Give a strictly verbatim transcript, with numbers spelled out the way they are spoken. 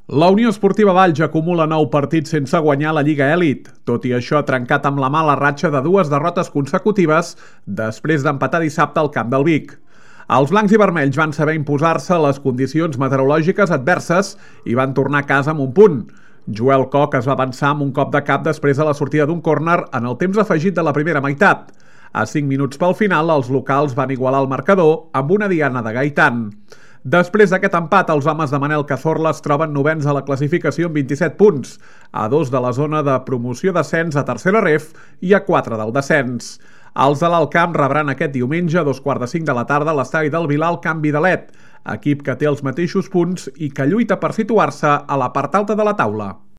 La Unió Esportiva Valls acumula nou partits sense guanyar la Lliga Elit. Tot i això, ha trencat amb la mala ratxa de dues derrotes consecutives després d'empatar dissabte al camp del Vic. Els blancs i vermells van saber imposar-se a les condicions meteorològiques adverses i van tornar a casa amb un punt. Joel Koch es va avançar amb un cop de cap després de la sortida d'un córner en el temps afegit de la primera meitat. A cinc minuts pel final, els locals van igualar el marcador amb una diana de Gaitán. Després d'aquest empat, els homes de Manel Cazorla es troben novens a la classificació amb vint-i-set punts, a dos de la zona de promoció-descens a tercera ref i a quatre del descens. Els de l'Alt Camp rebran aquest diumenge a dos quarts de cinc de la tarda a l'estadi del Vilar el Camp Vidalet, equip que té els mateixos punts i que lluita per situar-se a la part alta de la taula.